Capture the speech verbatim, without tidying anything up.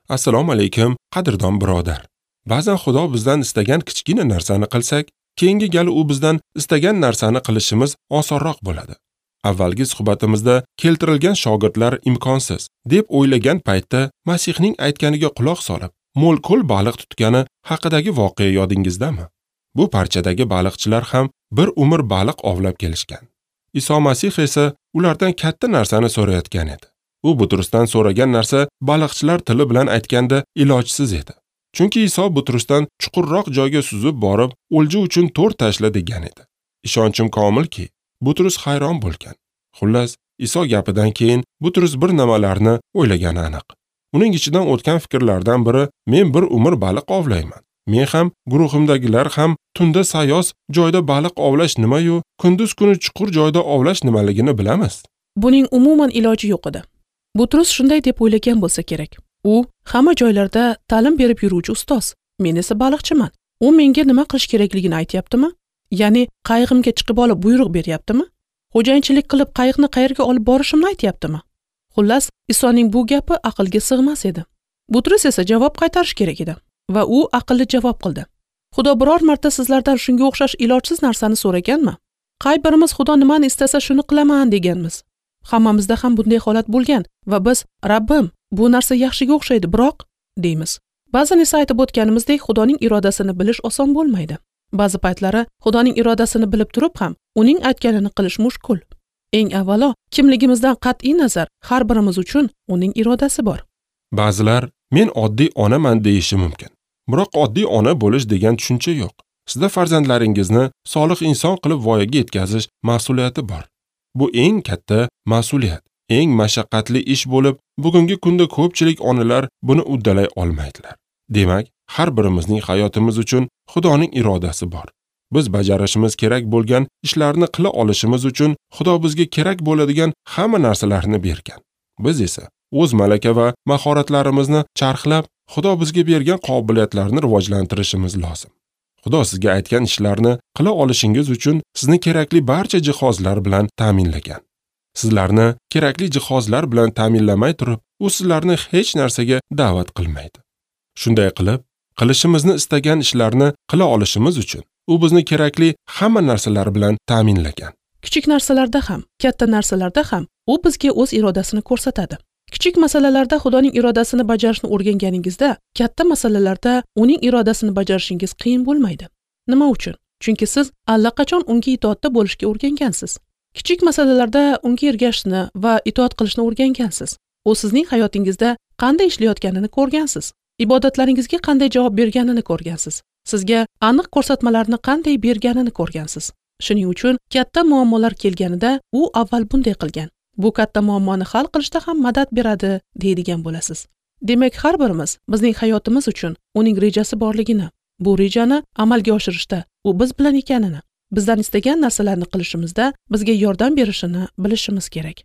Assalomu alaykum, qadrdon birodar. Ba'zan Xudo bizdan istagan kichkina narsani qilsak, keyingi gal u bizdan istagan narsani qilishimiz osonroq bo'ladi. Avvalgi suhbatimizda keltirilgan shogirdlar imkonsiz deb o'ylagan paytda Masihning aytganiga quloq solib, mo'l-ko'l baliq tutgani haqidagi voqea yodingizdami? Bu parchadagi baliqchilar ham bir umr baliq ovlab kelishgan. Iso Masih esa ulardan katta narsani so'rayotgan edi. U Butrusdan so'ragan narsa baliqchilar tili bilan aytganda ilojsiz edi. Chunki Iso Butrusdan chuqurroq joyga suzib borib, o'lja uchun to'r tashla degan edi. Ishonchim komilki, Butrus hayron bo'lgan. Xullas, Iso gapidan keyin Butrus bir nimalarni o'ylagani aniq. Uning ichidan o'tgan fikrlardan biri: men bir umr baliq ovlayman. Men ham, guruhimdagilar ham tunda sayoz joyda baliq ovlash nima-yu, kunduz kuni chuqur joyda ovlash nimaligini bilamiz. Buning umuman iloji yo'q edi. Butrus shunday deb o'ylagan bo'lsa kerak. U hamma joylarda ta'lim berib yuruvchi ustoz, men esa baliqchiman. U menga nima qilish kerakligini aytayaptimi? Ya'ni qayiqimga chiqib olib buyruq beryaptimi? Xo'jayinchilik qilib qayiqni qayerga olib borishimni aytayaptimi? Xullas, Isoning bu gapi aqlga sig'mas edi. Butrus esa javob qaytarish kerak edi va u aqlli javob qildi. Xudo biror marta sizlardan shunga o'xshash ilojsiz narsani so'raganmi? Qay birimiz Xudo nimani istasa shuni qilaman deganmiz? Hammamizda ham bunday holat bo'lgan va biz Rabbim, bu narsa yaxshiga o'xshaydi, biroq deymiz. Ba'zan esa aytib o'tganimizdek Xudoning irodasini bilish oson bo'lmaydi. Ba'zi paytlari Xudoning irodasini bilib turib ham uning aytganini qilish mushkul. Eng avvalo, kimligimizdan qat'iy nazar har birimiz uchun uning irodasi bor. Ba'zilar men oddiy onaman deyishi mumkin. Biroq oddiy ona bo'lish degan tushuncha yo'q. Sizda farzandlaringizni solih inson qilib voyaga yetkazish mas'uliyati bor. Bu eng katta mas'uliyat, eng mashaqqatli ish bo'lib, bugungi kunda ko'pchilik onalar buni uddalay olmaydilar. Demak, har birimizning hayotimiz uchun Xudoning irodasi bor. Biz bajarishimiz kerak bo'lgan ishlarni qila olishimiz uchun Xudo bizga kerak bo'ladigan hamma narsalarni bergan. Biz esa o'z malaka va mahoratlarimizni charxlab, Xudo bizga bergan qobiliyatlarni rivojlantirishimiz lozim. Xudo sizga aytgan ishlarni qila olishingiz uchun sizni kerakli barcha jihozlar bilan ta'minlagan. Sizlarni kerakli jihozlar bilan ta'minlamay turib, u sizlarni hech narsaga da'vat qilmaydi. Shunday qilib, qilishimizni istagan ishlarni qila olishimiz uchun u bizni kerakli hamma narsalar bilan ta'minlagan. Kichik narsalarda ham, katta narsalarda ham u bizga o'z irodasini ko'rsatadi. Kichik masalalarda Xudoning irodasini bajarishni o'rganganingizda, katta masalalarda uning irodasini bajarishingiz qiyin bo'lmaydi. Nima uchun? Chunki siz allaqachon unga itoatda bo'lishga o'rgangansiz. Kichik masalalarda unga ergashishni va itoat qilishni o'rgangansiz. U sizning hayotingizda qanday ishlayotganini ko'rgansiz. Ibodatlaringizga qanday javob berganini ko'rgansiz. Sizga aniq ko'rsatmalarni qanday berganini ko'rgansiz. Shuning uchun katta muammolar kelganida u avval bunday qilgan. Bu katta muammoni hal qilishda ham madad beradi deydigan bo'lasiz. Demak, har birimiz bizning hayotimiz uchun uning rejasi borligini, bu rejani amalga oshirishda u biz bilan ekanini, bizdan istagan narsalarni qilishimizda bizga yordam berishini bilishimiz kerak.